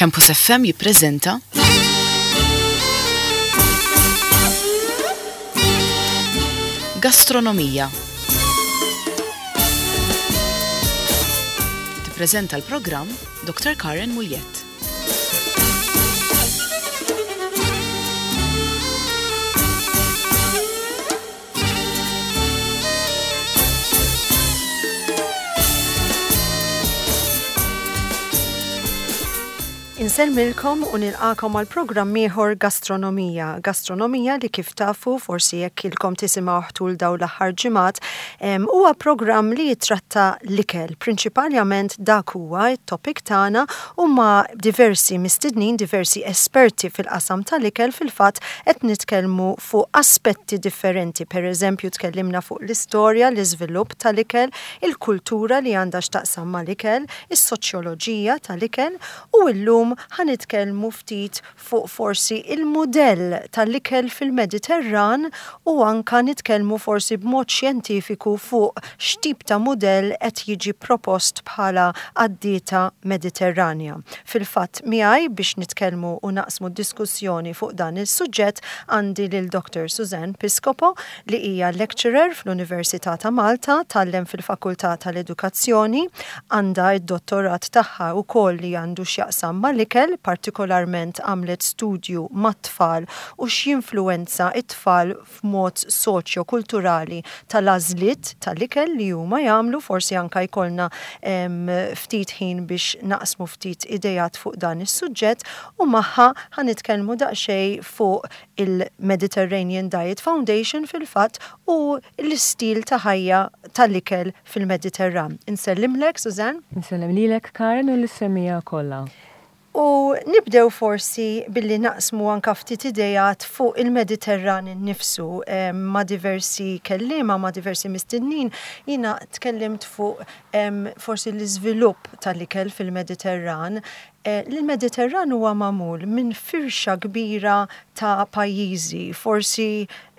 Campus FM jippreżenta Gastronomija. Tippreżenta l-programm Dr. Karen Muljett. Insellmilkom u nilqakom għal programm ieħor Gastronomija. Gastronomija li kif tafu forsi jekk ilkom tisimgħu tul dawn l-aħħar ġimgħat huwa programm li jitratta l-ikel. Prinċipalment dak huwa t-topic tagħna u ma' diversi mistednin, diversi esperti fil-qasam tal-ikel fil-fatt qed nitkellmu fuq aspetti differenti, per eżempju tkellimna fuq l-istorja, l-iżvilupp tal-ikel, il-kultura li għandha x'taqsam mal-ikel, is-soċjoloġija tal-ikel u llum ħa nitkellmu ftit fuq forsi il-mudell tal-ikel fil-Mediterran u anka nitkellmu forsi b'mod xjentifiku fuq x'tip ta' mudell qed jiġi propost bħala għad-dieta Mediterranja. Fil-fatt miegħi biex nitkellmu u naqsmu d-diskussjoni fuq dan is-suġġett għandi lil Dr. Suzanne Piscopo li hija lecturer fl-Università ta' Malta, tgħallem fil-Fakultà tal-Edukazzjoni, għandha d-dottorat tagħha wkoll li għandu x'jaqsam mal-ikel, partikolarment għamlet studju mat-tfal u x'jinfluwenza t-tfal f'mod soċjo-kulturali tal-għażliet tal-ikel li huma jagħmlu, forsi anke jkollna ftit ħin biex naqsmu ftit ideat fuq dan is-suġġett u magħha ħa nitkellmu daqsxejn fuq il-Mediterranean Diet Foundation fil-fatt u l-istil ta' ħajja tal-ikel fil-Mediterran. Insellimlek, Suzanne. Insellem lilek, Karen, u lis-semmiegħa kollha. U nibdew forsi billi naqsmu anka ftit ideat fuq il-Mediterran innifsu ma' diversi kelliema, ma' diversi mistednin, jiena tkellimt fuq forsi l-iżvilupp tal-ikel fil-Mediterran. Il-Mediterran huwa magħmul minn firxa kbira ta' pajjiżi, forsi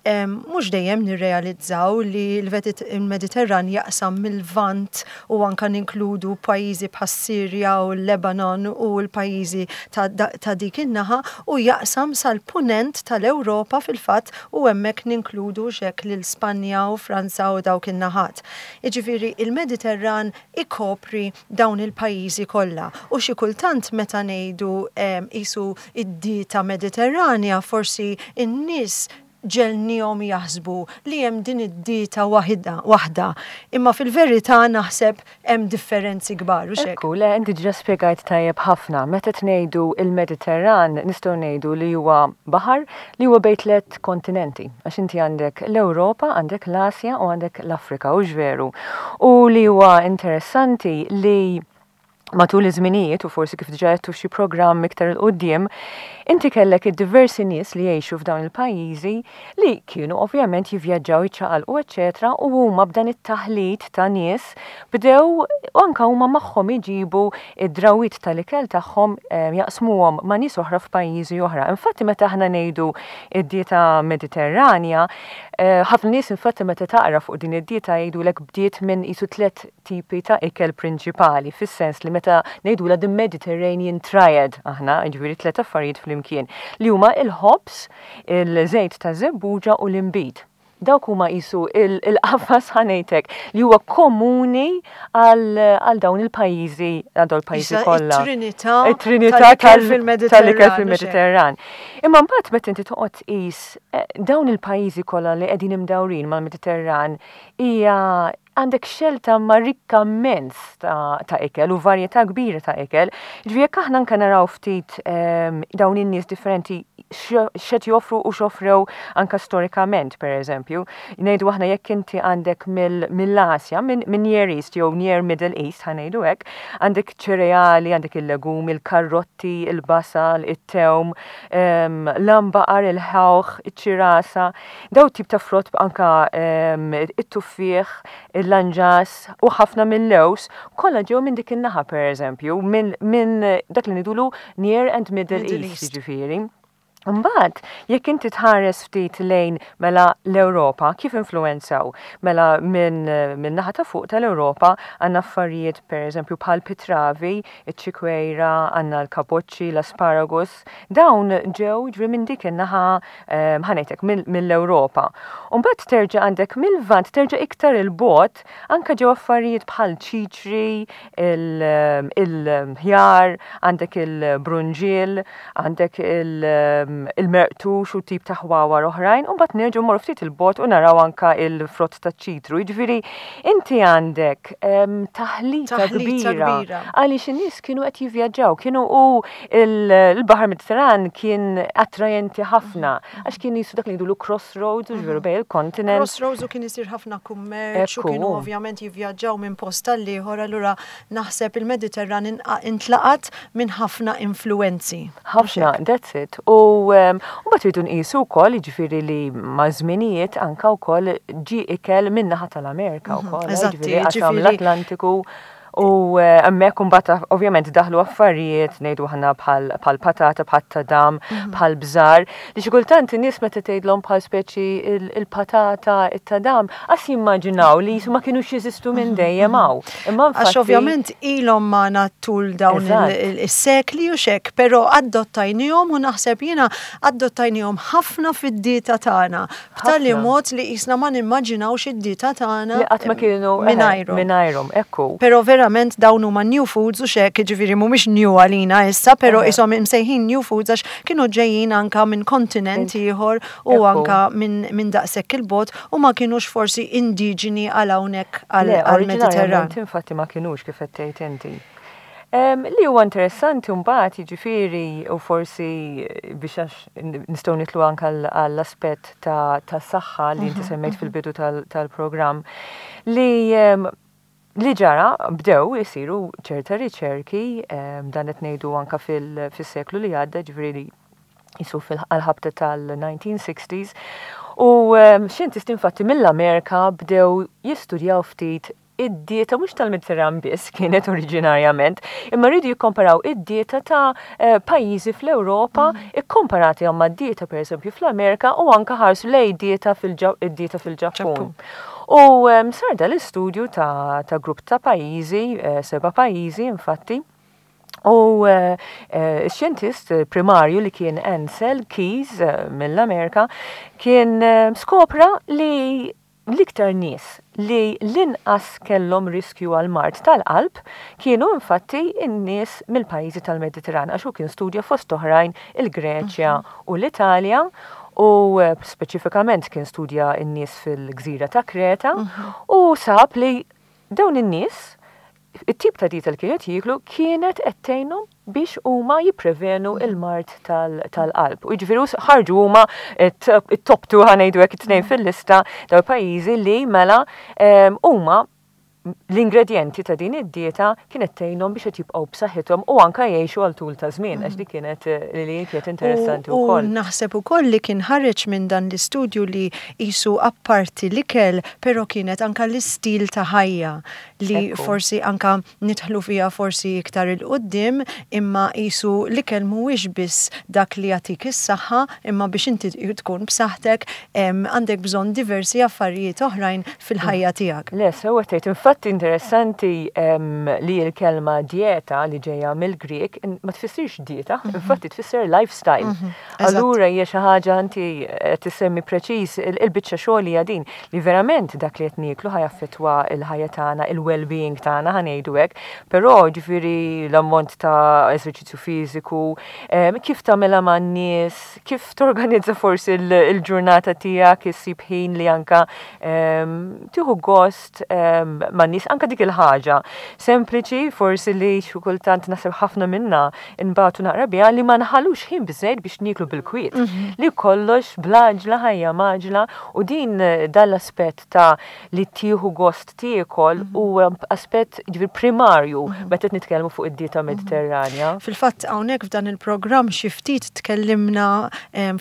Mhux dejjem nirrealizzaw li l-Mediterran jaqsam mil-Lvant u anka ninkludu pajjiżi bħas-Sirja u l-Lebanon u l-pajjiżi ta' dik in-naħa u jaqsam sal-Punent tal-Ewropa fil-fatt u hemmhekk ninkludu x'hekk lil Spanja u Franza u dawk in-naħat. Jiġifieri il-Mediterran ikopri dawn il-pajjiżi kollha u xi kultant meta ngħidu qisu d-dieta Mediterranja forsi n-nies ġegħelniehom jaħsbu li hemm din id-dieta waħda, waħda. Imma fil-verità naħseb hemm differenzi kbar, hux hekk? Ekku, le, inti diġà spjegajt tajjeb ħafna. Meta qed ngħidu l-Mediterran nistgħu ngħidu li huwa baħar li huwa bejn tliet kontinenti. Għax inti għandek l-Ewropa, għandek l-Asja u għandek l-Afrika, hux veru? U li huwa interessanti li matul iż-żminijiet u forsi kif diġà għedtu f'xi programm iktar 'il quddiem, inti kellek id-diversi nies li jgħixu f'dawn il-pajjiżi li kienu ovvjament jivvjaġġaw, jiċċaqalqu eċċetera u huma b'dan it-taħlit ta' nies bdew anke huma magħhom iġibu d-drawwiet tal-ikel tagħhom jaqsmuhom ma' nies oħra f'pajjiżi oħra. Infatti meta aħna ngħidu d-dieta Mediterranja, ħafna nies infatti meta taqra fuq din id-dieta jgħidulek bdiet minn qisu tliet tipi ta' ikel prinċipali, fis-sens li meta ngħidulha the Mediterranean Triad aħna, jiġifieri tliet affarijiet flimkien, li huma il-ħobż, il-żejt taż-żebbuġa u l-inbid. Dawk huma qisu il-qafas ħa ngħidlek li huwa komuni għal dawn il-pajjiżi, għal dawn il-pajjiżi kollha. It-trinità it-trinità tal-ikel fil-Mediterran. Imma mbagħad meta inti toqgħod tqis eh, dawn il-pajjiżi kollha li qegħdin imdawrin mal-Mediterran hija għandek xelta ma rikka immens ta', ta ikel u varjetà kbira ta' ikel. Ġifieri jekk aħna anke naraw ftit ehm, dawn in-nies differenti x'qed joffru u x'offrew anke storikament, per eżempju. Ngħidu aħna jekk inti għandek mill-Asja, minn Near East jew Near Middle East, ħa ngħidu hekk, għandek ċereali, għandek il-legumi, il-karrotti, il-basal, it-tewm, ehm, l-ambaqar, il-ħawħ, iċ-ċirasa. Daw tip ta' frott anka ehm, it-tuffieħ, il-lanġas u ħafna mill-lews kollha ġew minn dik in-naħa pereżempju, minn dak li ngħidulu Near and Middle, Middle East, East. Jiġifieri. Mbagħad, jekk inti tħares ftit lejn mela l-Ewropa, kif influwenzaw? Mela minn min naħa ta' fuq tal-Ewropa għandna affarijiet pereżempju bħal pitravi, iċ-ċikwejra, għandna l-kaboċċi, l-asparagus, dawn ġew ġri minn dik in-naħa ħa ngħidlek mill-Ewropa. U mbagħad terġa' għandek mill-Lvant terġa' iktar il-bogħod anke ġew affarijiet bħal ċiċri, il-ħjar, għandek il-brunġiel, għandek il-merqtux u tip ta' ħwawar oħrajn, u mbagħad nerġgħu mmorru ftit il-bogħod u naraw anka il-frott taċ-ċitru. Jiġifieri inti għandek taħlita kbira għaliex in-nies kienu qed jivvjaġġaw, kienu u il-Baħar Mediterran kien attrajenti ħafna għax kien jisu dak li ngħidulu crossroads, ġifieri bejn il-kontinent. Crossroads u kien isir ħafna kummerċ u kienu ovvjament jivvjaġġaw minn post għal ieħor, allura naħseb il-Mediterran intlaqat minn ħafna influwenzi. Ħafna, that's it. U mbagħad rridu nqisu wkoll, jiġifieri li maż-żminijiet anke wkoll ġie ikel min-naħa tal-Amerika wkoll, jiġifieri qasam l-Atlantiku. U hemmhekk imbagħad ovvjament daħlu affarijiet ngħidu aħna bħal patata, bħal tadam, bħal bżar, li xi kultant in-nies meta tgħidlhom bħal speċi il-patata, it-tadam, qas jimmaġinaw li ma kinux jeżistu minn dejjem hawn. Imma Għax ovvjament ilhom magħna tul dawn is-sekli u xek, però adottajnihom u naħseb jiena adottajnihom ħafna fid-dieta tagħna. B'tali mod li qisna ma nimmaġinawx id-dieta tagħna. Li qatt ma kienu mingħajrhom. Mingħajrhom, ekku. Però verament dawn huma new foods u xek, jiġifieri mhumiex new għalina issa, però qishom imsejħin new foods għax kienu ġejjin anka minn kontinent ieħor u anka minn daqshekk il-bogħod u ma kinux forsi indiġeni għal hawnhekk għall-Mediterran. Infatti ma kinux kif qed tgħid inti. Li huwa interessanti mbagħad jiġifieri u forsi biex għax nistgħu nitlu anke għall-aspett ta' saħħa li inti semmejt fil-bidu tal-programm li li ġara bdew isiru ċerta riċerki dan qed ngħidu anke fis-seklu li għadda ġifieri jisu fil-ħabta tal-1960s u xjentisti infatti mill-Amerika bdew jistudjaw ftit id-dieta mhux tal-Mediterran biss kienet oriġinarjament, imma rridu jikkomparaw id-dieta ta' eh, pajjiżi fl-Ewropa mm. ikkomparati ma' dieta pereżempju fl-Amerika u anka ħarsu lej dieta fil-dieta fil-Ġappun. U ehm, sar dal-istudju ta', ta grupp ta' pajjiżi, eh, seba' pajjiżi infatti, U eh, x-xjentist primarju li kien Ansel Keys mill-Amerika kien skopra li L-iktar nies li l-inqas kellhom riskju għal mard tal-qalb kienu infatti n-nies mill-pajjiżi tal-Mediterran għax hu kien studja fost oħrajn il-Greċja u l-Italja u speċifikament kien studja n-nies fil-gżira ta' Kreta u sab li dawn in-nies it-tip ta' dieta li kienu qed jieklu kienet qed tgħinhom biex huma jipprevenu l-mard tal-qalb. U jiġifieri ħarġu huma it-top two ħa ngħidu hekk it-tnejn fil-lista dawn il-pajjiżi li mela huma l-ingredjenti ta' din id-dieta kienet tgħinhom biex qed jibqgħu b'saħħithom u anke jgħixu għal tul ta' żmien għax dik kienet li kienet interessanti wkoll. U naħseb ukoll li kien ħareġ minn dan l-istudju li qisu apparti l-ikel però kienet anke l-istil ta' ħajja li forsi anka nidħlu fiha forsi iktar 'il quddiem, imma qisu l-ikel mhuwiex biss dak li jagħtik is-saħħa, imma biex inti tkun b'saħħtek għandek bżonn diversi affarijiet oħrajn fil-ħajja tiegħek. Le, sewwa tgħid. Infatti interessanti li l-kelma dieta li ġejja mill-Grieg ma tfissirx dieta, infatti tfisser lifestyle. Allura hija xi ħaġa inti qed issemmi preċiż il-biċċa xogħol hija din li verament dak li qed nieklu ħa jaffettwa l-ħajja tagħna, il-well-being tagħna ħa ngħidu hekk, però ġifieri l-ammont ta' eżerċizzju fiżiku, kif tagħmilha man-nies, kif torganizza forsi l-ġurnata tiegħek, issib ħin li anka tieħu gost man-nies, anka dik il-ħaġa sempliċi forsi li xi kultant naħseb ħafna minna Inbatu naqra biha li ma nħallux ħin biżżejjed biex nieklu bil-kwiet. Li kollox bl-għaġla ħajja mgħaġla u din dan l-aspett ta' li tieħu gost tiekol huwa aspett ġifieri primarju meta qed nitkellmu fuq id-dieta Mediterranja. Fil-fatt hawnhekk f'dan il-programm xi ftit tkellimna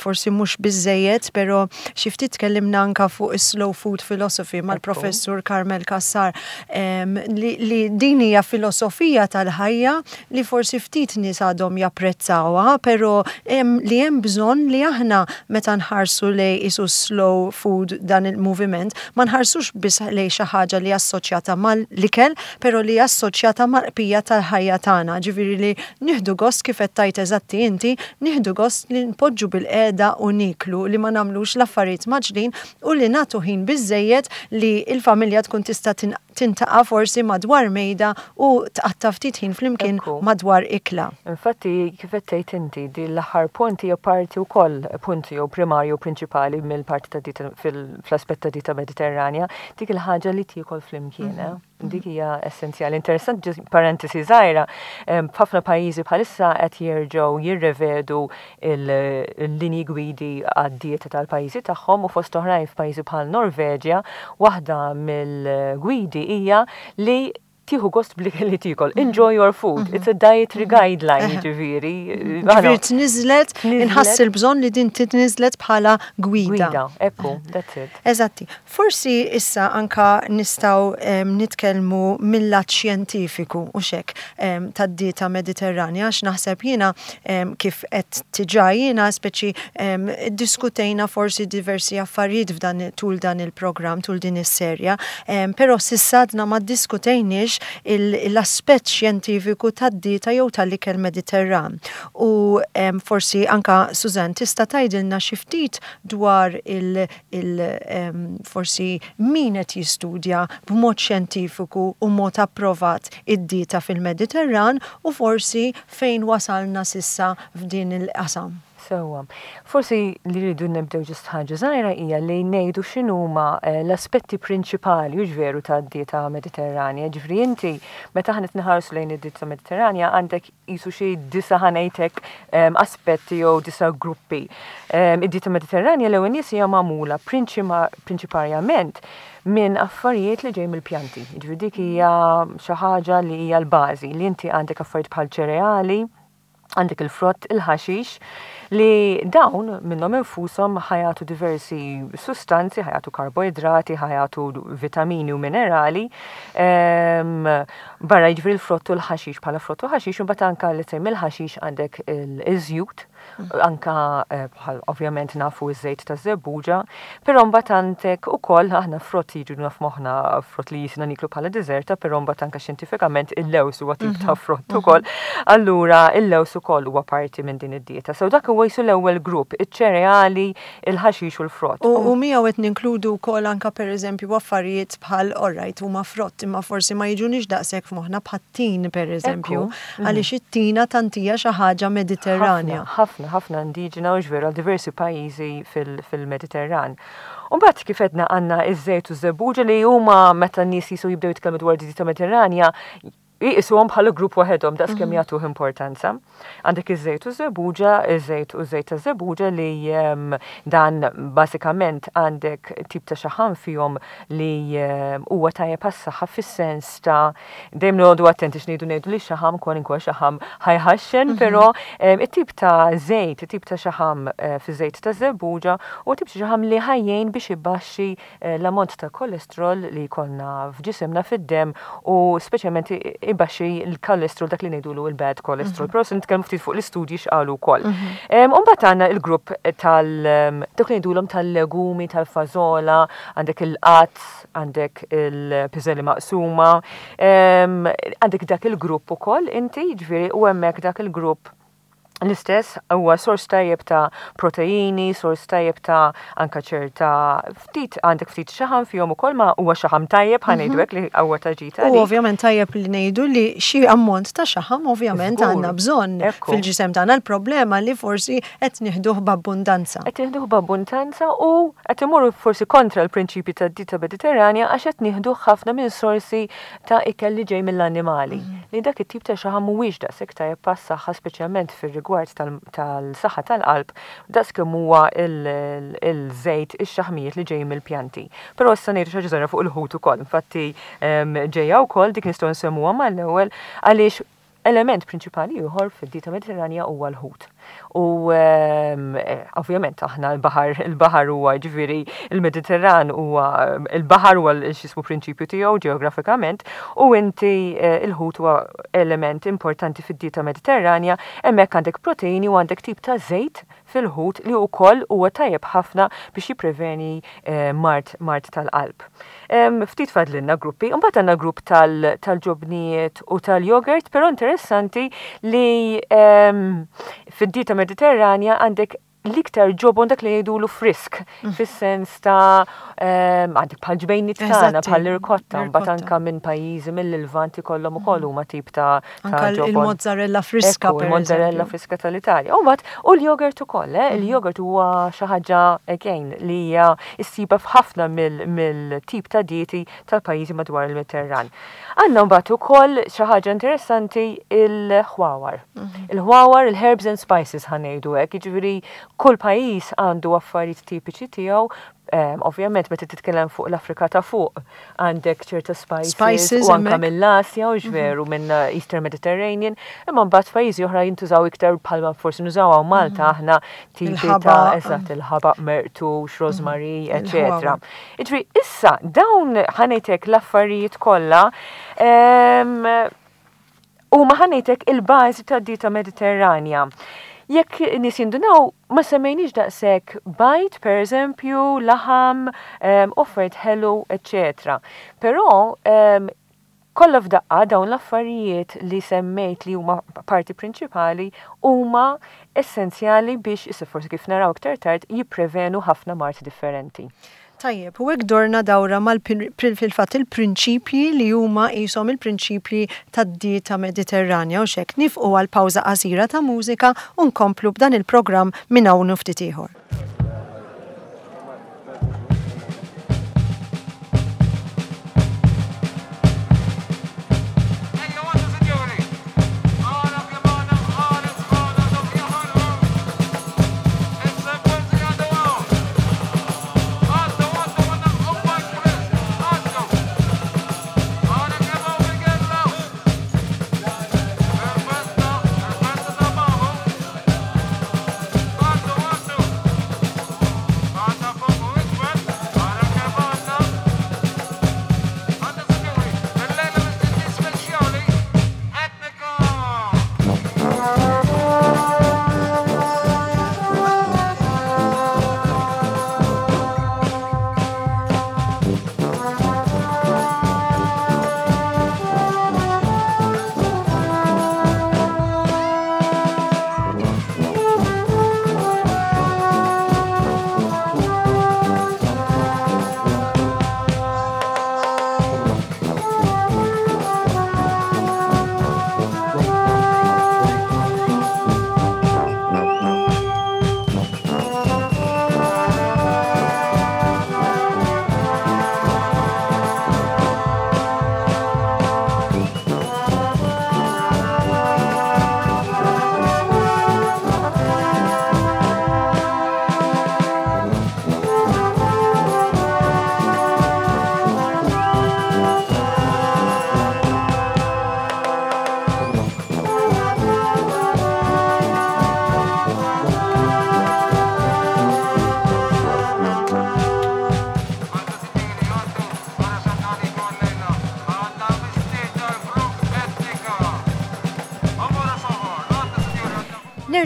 forsi mhux biżżejjed, però xi ftit tkellimna anke fuq is-slow food philosophy mal-Professur Carmel Cassar. Li din hija filosofija tal-ħajja li forsi ftit nies għadhom japprezzawha, però li hemm bżonn li aħna meta nħarsu lejn qisu slow food dan il-moviment, ma nħarsux biss lejn xi ħaġa li assoċjata mal-ikel, però li assoċjata mal-qpija tal-ħajja tagħna, ġifieri li nieħdu gost kif qed tgħid eżatti inti, nieħdu gost li npoġġu bilqiegħda u nieklu, li ma nagħmlux l-affarijiet mgħaġġlin u li nagħtu ħin biżżejjed li l-familja tkun tista' tintaqa' forsi madwar mejda u tqatta' ftit ħin flimkien madwar ikla. Infatti, kif qed tgħid inti, din l-aħħar punt hija parti wkoll, punt jew primarju prinċipali mill-parti ta' dieta fl-aspett ta' dieta Mediterranja, dik il-ħaġa li tiekol flimkien. Eh? Dik hija essenzjali. Interessanti, parentesi żgħira, f'ħafna pajjiżi bħalissa qed jerġgħu jirrevedu il-linji gwidi għad-dieta tal-pajjiżi tagħhom u fost oħrajn f'pajjiżi bħal Norveġja, waħda mill-gwidi hija li tieħu gost bl-ikel li tiekol. Enjoy your food. It's a dietary guideline, jiġifieri. Ġifieri tniżlet, inħass il-bżonn li din titniżlet bħala gwida. Gwida, ekku, that's it. Eżatti. Forsi issa anka nistgħu nitkellmu mil-lat xjentifiku, hux hekk, tad-dieta Mediterranja għax naħseb jiena kif għedt diġà jiena speċi iddiskutejna forsi diversi affarijiet f'dan tul dan il-programm, tul din is-serja, però s'issa għadna ma ddiskutejniex l-aspett xjentifiku tad-dieta jew tal-ikel Mediterran. U forsi anka Suzanne tista' tgħidilna xi ftit dwar il il forsi min qed jistudja b'mod xjentifiku u mod approvat id-dieta fil-Mediterran u forsi fejn wasalna s'issa f'din il-qasam. Sewwa. Forsi li rridu nibdew ġust ħaġa żgħira hija li ngħidu x'inhuma l-aspetti prinċipali, hux veru, tad-dieta Mediterranja. Ġifieri inti meta aħna qed inħarsu lejn id-dieta Mediterranja għandek qisu xi disa' ħa ngħid hekk aspetti jew disa' gruppi. Id-dieta Mediterranja l-ewwel nies hija magħmula prinċiparjament minn affarijiet li ġej mill-pjanti. Jiġifieri dik hija xi ħaġa li hija l-bażi li inti għandek affarijiet bħal ċereali, għandek il-frott, il-ħaxix, li dawn minnhom infushom ħa jagħtu diversi sustanzi, ħa jagħtu karboidrati, ħa jagħtu vitamini u minerali. Ehm, barra jiġifieri l-frott u l-ħaxix bħala frott u ħaxix, u mbagħad anke li mill-ħaxix għandek il-żjut, anka eh, bħal ovvjament nafu iż-żejt ta' żebbuġa, però mbagħad għandek ukoll aħna frott jiġu naf moħħna frott li jisna niklu bħala deżerta, però mbagħad anka xjentifikament il-lews huwa tip ta' mhm. frott mhm. ukoll. Allura il-lews ukoll huwa parti minn din id-dieta. So dak huwa jisu l-ewwel grupp, iċ-ċereali, il-ħaxix u l-frott. U miegħu qed ninkludu wkoll anka pereżempju affarijiet bħal alright huma frott imma forsi ma jiġunix daqshekk f'moħħna bħat-tin pereżempju. Għaliex it-tina tant hija xi ħaġa Mediterranja. Ħafna, ħafna indiġena u veru għal diversi pajjiżi fil-Mediterran. U mbagħad kif għedna għandna iż-żejt u ż-żebbuġa li huma meta n-nies jisu jibdew jitkellmu dwar dieta Mediterranja jqisuhom bħala grupp waħedhom daqs kemm mhm. jagħtuh importanza. Għandek iż-żejt u żebbuġa, iż-żejt u żejt ta' żebbuġa li ehm, dan bażikament għandek tip ta' xaħam fihom li ehm, huwa tajjeb għas-saħħa fis-sens ta' dejjem noqogħdu attenti x'ngħidu ngħidu li xaħam kwalinkwa xaħam ħajħaxxen, mhm. però ehm, it-tip ta' żejt, it-tip ta' xaħam eh, fi żejt ta' żebbuġa u tip ta' xaħam li ħajjejn biex ibaxxi eh, l-ammont ta' kolesterol li jkollna f'ġisimna fid-demm u speċjalment ibaxxi l-kolesterol dak li ngħidulu il-bad cholesterol. Mhm. Però se nitkellmu ftit fuq l-istudji x'qalu wkoll. Mhm. Ehm, u mbagħad għandna il-grupp tal dak li ngħidulhom tal-legumi, tal-fażola, għandek il-qatt, għandek il-piżelli maqsuma, għandek dak il-grupp ukoll inti, ġifieri u hemmhekk dak il-grupp l-istess huwa sors tajjeb ta' proteini, sors tajjeb ta' anka ċerta ftit għandek ftit xaħam fihom ukoll ma huwa xaħam tajjeb ħa ngħidu hekk li huwa ta' ġita. U ovvjament tajjeb li ngħidu li xi ammont ta' xaħam ovvjament għandna bżonn fil-ġisem tagħna l-problema li forsi qed nieħduh b'abbundanza. Qed nieħduh b'abbundanza u qed imorru forsi kontra l-prinċipji tad-dieta Mediterranja għax qed nieħduh ħafna minn sorsi ta' ikel li ġej mill-annimali. Li dak it-tip ta' xaħam mhuwiex daqshekk tajjeb għas-saħħa speċjalment fir-rigward tal-saħħa tal-qalb daqs kemm huwa l-żejt ix-xaħmijiet li ġejjin mill-pjanti. Però issa ngħidu xi ħaġa żgħira fuq il-ħut ukoll. Infatti ġejja wkoll dik nistgħu nsemmuha mal-ewwel għaliex. Element prinċipali ieħor fid-dieta Mediterranja huwa l-ħut. U ovvjament aħna l-baħar, il-baħar huwa ġifieri il-Mediterran huwa il-baħar huwa x'ismu prinċipju tiegħu ġeografikament u inti il-ħut huwa element importanti fid-dieta Mediterranja, hemmhekk għandek proteini u għandek tip ta' żejt fil-ħut li wkoll huwa tajjeb ħafna biex jippreveni mard mard tal-qalb. Ftit fadlilna gruppi, imbagħad għandna grupp tal-ġobnijiet u tal-jogurt, però interessanti li fid-dieta Mediterranja għandek l-iktar ġobon dak li jgħidulu frisk, fis-sens ta' għandek bħal ġbejniet tagħna, bħal irkotta, mbagħad anka minn pajjiżi mill-Lvant ikollhom ukoll huma tip ta' Anka il-mozzarella friska. Il-mozzarella friska tal-Italja. U mbagħad u l-jogurt ukoll, eh? Il-jogurt huwa xi ħaġa again li hija ssiba f'ħafna mill-tip ta' dieti tal-pajjiżi madwar il-Mediterran. Għandna mbagħad ukoll xi ħaġa interessanti il-ħwawar. Il-ħwawar, il-herbs and spices ħa ngħidu hekk, jiġifieri kull pajjiż għandu affarijiet tipiċi tiegħu, Ovvjament meta titkellem fuq l-Afrika ta' fuq għandek ċerta spices, spices u anka mill-Asja u ġveru mhm. minn eh, Eastern Mediterranean, imma mbagħad f'pajjiżi oħra jintużaw iktar bħalma forsi nużaw hawn Malta mhm. aħna tipi ta' eżatt il-ħabaq mertux, mhm. rosemary, eċetera. Iġri issa dawn ħanejtek l-affarijiet kollha Huma ħa ngħidlek il-bażi tad-dieta Mediterranja. Jekk nies jindunaw ma semmejniex daqshekk bajd, pereżempju, laħam, offert ħelu, eċċetera. Però kollha f'daqqa dawn l-affarijiet li semmejt li huma parti prinċipali huma essenzjali biex, issa forsi kif naraw iktar tard, jipprevenu ħafna mard differenti. Tajjeb, u hekk dorna dawra mal fil-fatt il-prinċipji li huma qishom il-prinċipji tad-dieta Mediterranja u x'hekk. Nifqu għal pawża qasira ta' mużika u nkomplu b'dan il-programm minn hawn u ftit ieħor.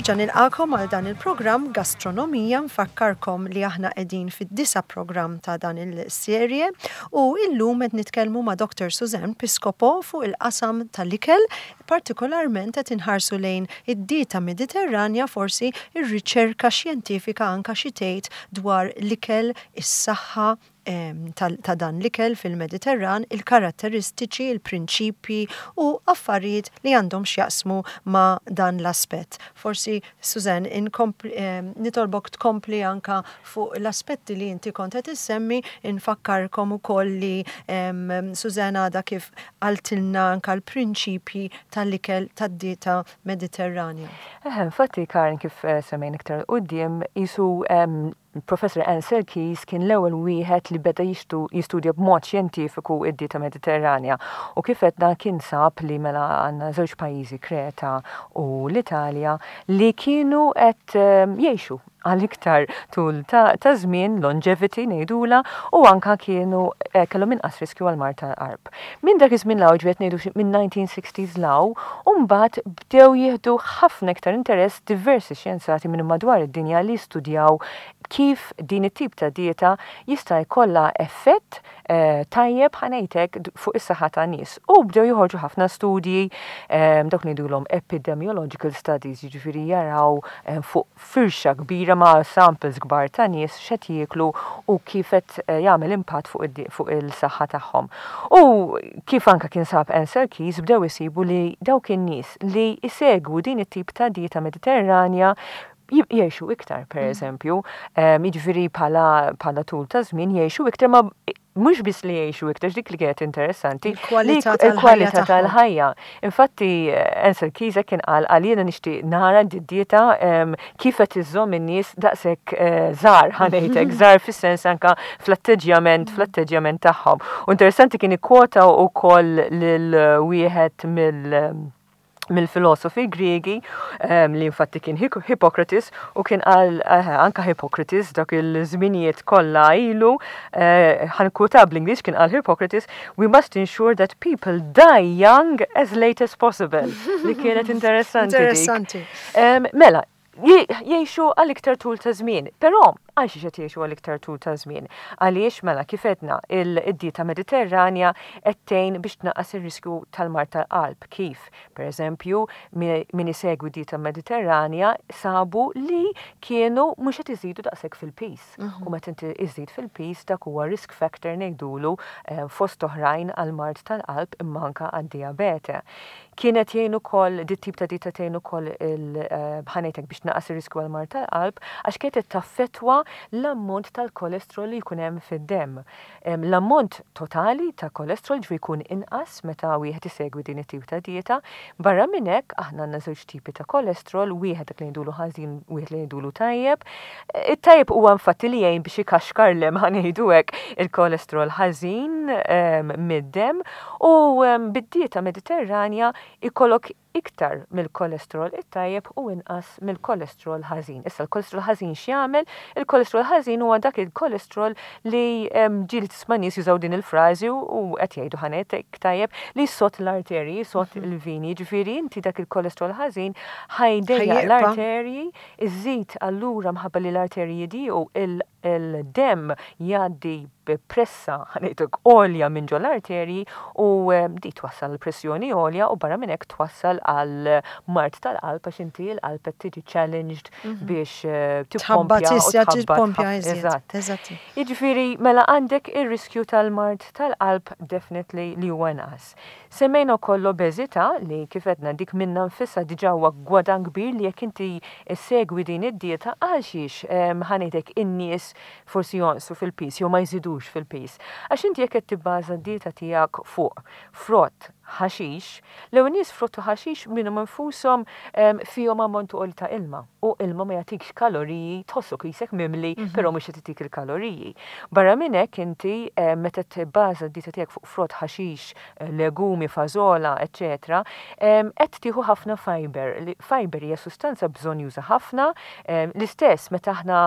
Nerġa' nilqagħkom għal dan il-programm Gastronomija nfakkarkom li aħna qegħdin fid-disa' programm ta' dan il-serje u illum qed nitkellmu ma' Dr. Suzanne Piscopo fuq il-qasam tal-ikel, partikolarment qed inħarsu lejn id-dieta Mediterranja forsi r-riċerka xjentifika anka xi tgħid dwar l-ikel, is-saħħa, ta' dan l-ikel fil-Mediterran, il-karatteristiċi, il-prinċipji u affarijiet li għandhom x'jaqsmu ma' dan l-aspett. Forsi, Suzanne, nitolbok tkompli anka fuq l-aspetti li inti kont qed issemmi, infakkarkom ukoll li Suzanne għadha kif qaltilna anka l-prinċipji tal-ikel tad-dieta Mediterranja. Eħe, infatti Karen kif semmejna iktar 'il quddiem, qisu Professor Ancel Keys kien l-ewwel wieħed li beda jistudja b'mod xjentifiku id-dieta Mediterranja u kif għedna kien sab li mela għandna żewġ pajjiżi Kreta u l-Italja li kienu qed jgħixu għal iktar tul ta' żmien, longevity ngħidulha, u anka kienu kellhom inqas riskju għal mard tal-qalb. Minn dak iż-żmien 'l hawn, ġifieri qed ngħidu xi minn 1960s 'l hawn, u mbagħad bdew jieħdu ħafna iktar interess diversi xjenzati minn madwar id-dinja li jistudjaw kif din it-tip ta' dieta jista' jkollha effett tajjeb, ħa ngħid hekk, fuq is-saħħa tan-nies. U bdew joħorġu ħafna studji, dawk ngħidulhom epidemiological studies, jiġifieri jaraw fuq firxa kbira ma' samples kbar ta' nies x'qed jieklu u kif qed jagħmel impatt fuq il-saħħa tagħhom. U kif anke kien sab Ansel Keys bdew isibu li dawk in-nies li jsegwu din it-tip ta' dieta Mediterranja jgħixu iktar, per eżempju, jiġifieri bħala tul ta' żmien jgħixu iktar ma mhux biss li jgħixu iktar dik li kienet interessanti, il-kwalità tal-ħajja. Infatti, Ansel Keys kien qal għal jiena nixtieq nara d-dieta kif qed iżżomm in-nies daqshekk żgħar ħa ngħidlek, żgħar fis-sens anka fl-atteġġjament fl-atteġġjament tagħhom. U interessanti kien ikkwota wkoll lil wieħed mill mill-filosofi Griegi li infatti kien Hippocrates u kien qal anka Hippocrates dak il-żminijiet kollha ilu eh, ħa nikkwota bl-Ingliż kien qal Hippocrates we must ensure that people die young as late as possible li kienet interessanti. Interessanti. Mela, jgħixu għal iktar tul ta' żmien. Però għal xiex qed jgħixu għal iktar tul ta' żmien? Għaliex mela kif għedna il-dieta Mediterranja qed tgħin biex tnaqqas ir-riskju tal-mard tal-qalb. Kif? Per eżempju, min isegwi dieta Mediterranja sabu li kienu mhux qed iżidu daqshekk fil-piż. U meta inti iżid fil-piż dak huwa risk factor ngħidulu fost oħrajn għal mard tal-qalb imma anke għad-dijabete. Kienet jgħin ukoll, dit tip ta' dieta tgħin ukoll il ħa ngħidlek biex tnaqqas ir-riskju għal mard tal-qalb għax kienet qed taffettwa l-ammont tal-kolesterol li jkun hemm fid-demm. L-ammont totali ta' kolesterol ġifieri jkun inqas meta wieħed isegwi din it-tip ta' dieta. Barra minn hekk aħna għandna żewġ tipi ta' kolesterol, wieħed dak li ngħidulu ħażin, wieħed li ngħidulu tajjeb. It-tajjeb huwa infatti li jgħin biex ikaxkar l-hemm ħa ngħidu hekk il-kolesterol ħażin mid-demm U bid-dieta Mediterranja jkollok iktar mill-kolesterol it-tajjeb u inqas mill-kolesterol ħażin. Issa l-kolesterol ħażin x'jagħmel? Il-kolesterol ħażin huwa dak il-kolesterol li ġieli tisma' nies jużaw din il-frażi u qed jgħidu ħa ngħidlek tajjeb li jsott l-arterji, jsott il-vini, jiġifieri inti dak il-kolesterol ħażin ħa jdejjaq l-arterji, iżid allura mħabba li l-arterji jidiequ il-demm jgħaddi b'pressa, ħa ngħidlek, għolja minn ġol-arterji u di twassal għal pressjoni għolja u barra minn hekk twassal għal mard tal-qalb għax inti l-qalb qed tiġi challenged biex tippompja u tħabbat. Eżatt. Jiġifieri mela għandek ir-riskju tal-mard tal-qalb definitely li huwa inqas. Semmejna wkoll l-obeżità li kif għedna dik minnha nfisha diġà huwa gwadann kbir li jekk inti ssegwi din id-dieta għal xiex ħa ngħidlek in-nies forsi jonqsu fil-piż jew ma jżidux fil-piż. Għax inti jekk qed tibbaża d-dieta tiegħek fuq frott, ħaxix, l-ewwel nies frott u ħaxix minnhom infushom fihom ammont għoli ta' ilma u ilma ma jagħtikx kaloriji, tħossok qisek mimli però mhux qed itik il-kaloriji. Barra minn hekk inti meta tibbaża d-dieta tiegħek fuq frott, ħaxix, legumi, fażola, eċċetera, qed tieħu ħafna fiber. Fiber hija sustanza bżonnjuża ħafna, l-istess meta aħna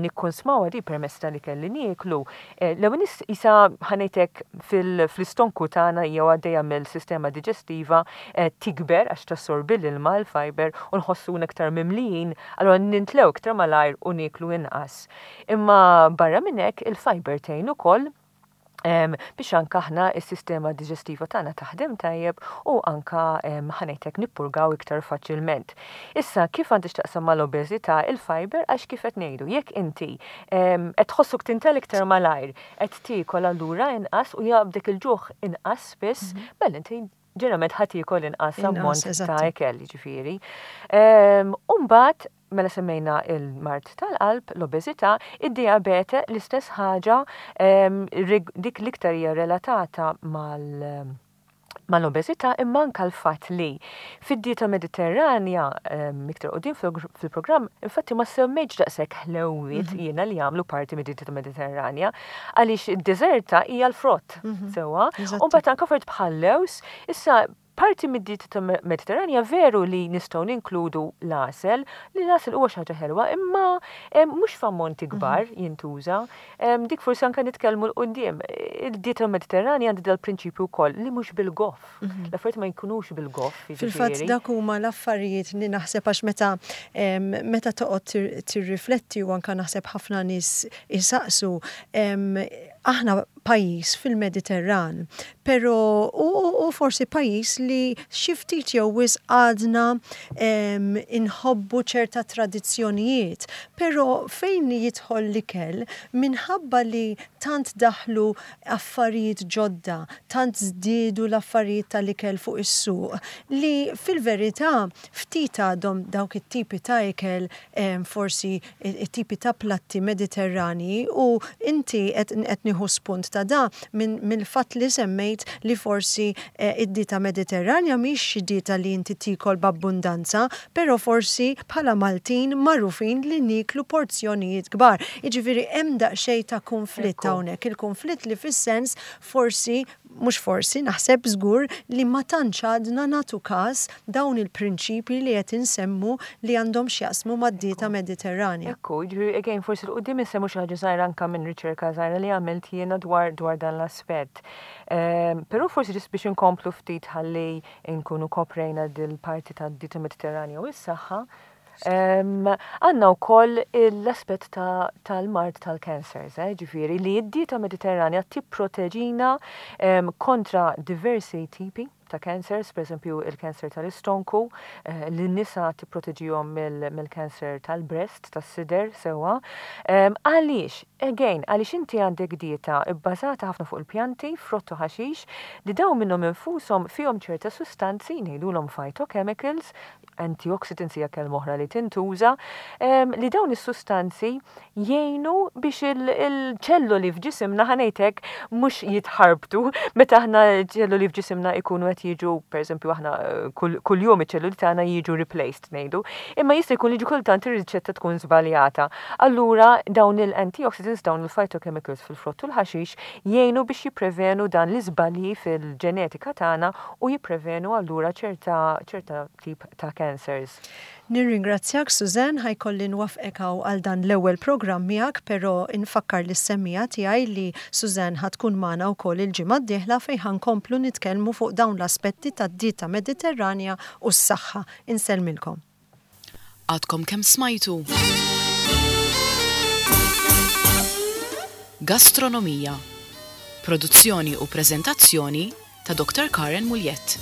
nikkunsmawha di permezz tal-ikel li nieklu, l-ewwel nies qisha ħa ngħidlek fl-istonku tagħna jew għaddejja mill-sistema diġestiva tikber għax tassorbi l-ilma l-fiber u nħossuna iktar mimlijin, allura nintlew iktar malajr u nieklu inqas. Imma barra minn hekk il-fiber tgħin ukoll biex anka aħna s-sistema diġestiva tagħna taħdem tajjeb u anka ħa ngħidlek nippurgaw iktar faċilment. Issa kif għandha x'taqsam mal-obeżità il-fiber għax kif qed ngħidu jekk inti qed tħossok tintel iktar malajr, qed tiekol allura inqas u jaqbdek il-ġuħ inqas spiss, mela inti ġeneralment ħa tiekol inqas ammont ta' ikel, jiġifieri. U mbagħad mela semmejna il-mard tal-qalb, l-obeżità, id-dijabete l-istess ħaġa, dik l-iktar hija relatata mal mal-obeżità imma anke l-fatt li fid-dieta Mediterranja iktar quddiem fil-programm infatti ma semmejtx daqshekk ħlewwiet jiena li jagħmlu parti mid-dieta Mediterranja għaliex id-deżerta hija l-frott sewwa. U mbagħad anke affarijiet bħal lewż, issa parti mid-dieta Mediterranja veru li nistgħu ninkludu l-għasel, li l-għasel huwa xi ħaġa ħelwa, imma mhux f'ammonti kbar jintuża. Dik forsi anke nitkellmu 'l quddiem. Il-dieta Mediterranja għandha dal-prinċipju wkoll li mhux bil-goff. L-affarijiet ma jkunux bil-goff, jiġifieri. Fil-fatt dak huma l-affarijiet li naħseb għax meta meta toqgħod tirrifletti u anke naħseb ħafna nies isaqsu, aħna pajjiż fil-Mediterran, però u, u forsi pajjiż li xi ftit jew wisq għadna inħobbu ċerta tradizzjonijiet, però fejn jidħol l-ikel, minħabba li tant daħlu affarijiet ġodda, tant żdiedu l-affarijiet tal-ikel fuq is-suq, li fil-verità ftit għadhom dawk it-tipi ta' ikel forsi it-tipi ta' platti Mediterranji u inti qed qed nieħu spunt ta' da minn mill-fatt li semmejt li forsi id-dieta Mediterranja mhix xi dieta li inti tiekol b'abbundanza, però forsi bħala Maltin magħrufin li nieklu porzjonijiet kbar. Jiġifieri hemm daqsxejn ta' kunflitt hawnhekk, il-kunflitt li fis-sens forsi mhux forsi, naħseb żgur li ma tantx għadna nagħtu kas dawn il-prinċipji li qed insemmu li għandhom x'jaqsmu mad-dieta Mediterranja. Ekku, jiġifieri again forsi 'l quddiem insemmu xi ħaġa żgħira anke minn riċerka żgħira li għamilt jiena dwar dwar dan l-aspett. Però forsi ġust biex inkomplu ftit ħalli nkunu koprejna dil-parti tad-dieta Mediterranja u s-saħħa, Għandna wkoll l-aspett tal-mard tal-cancers, eh, ġifieri li d-dieta Mediterranja tipproteġina kontra diversi tipi ta' cancers, per eżempju il-cancer tal-istonku, eh, li nisa tipproteġihom mill-cancer tal-breast, tas-sider, sewwa. Għaliex? Again, għaliex inti għandek dieta bbażata ħafna fuq il-pjanti, frott u ħaxix, li dawn minnhom infushom fihom ċerta sustanzi, ngħidulhom phytochemicals, antioxidants hija kelma oħra li tintuża, li dawn is-sustanzi jgħinu biex il-ċelloli f'ġisimna ħa ngħid hekk mhux jitħarbtu meta aħna ċelloli f'ġisimna jkunu qed jiġu pereżempju aħna kuljum iċ-ċelloli tagħna jiġu replaced ngħidu, imma jista' jkun li ġi kultant ir-riċetta tkun żbaljata. Allura dawn il-antioxidants, dawn il-phytochemicals fil-frott u l-ħaxix jgħinu biex jipprevenu dan l-iżbalji fil-ġenetika tagħna u jipprevenu allura ċerta ċerta tip ta' cancers. Nirringrazzjak Suzanne, ħa jkolli nwaffqek hawn għal dan l-ewwel programm miegħek però nfakkar lis-semmiegħa tiegħi li Suzanne ħa tkun magħna wkoll il-ġimgħa d-dieħla fejn ħa nkomplu nitkellmu fuq dawn l-aspetti tad-dieta Mediterranja u s-saħħa. Insellmilkom. Għadkom kemm smajtu Gastronomija. Produzzjoni u preżentazzjoni ta' Dr. Karen Mugliett.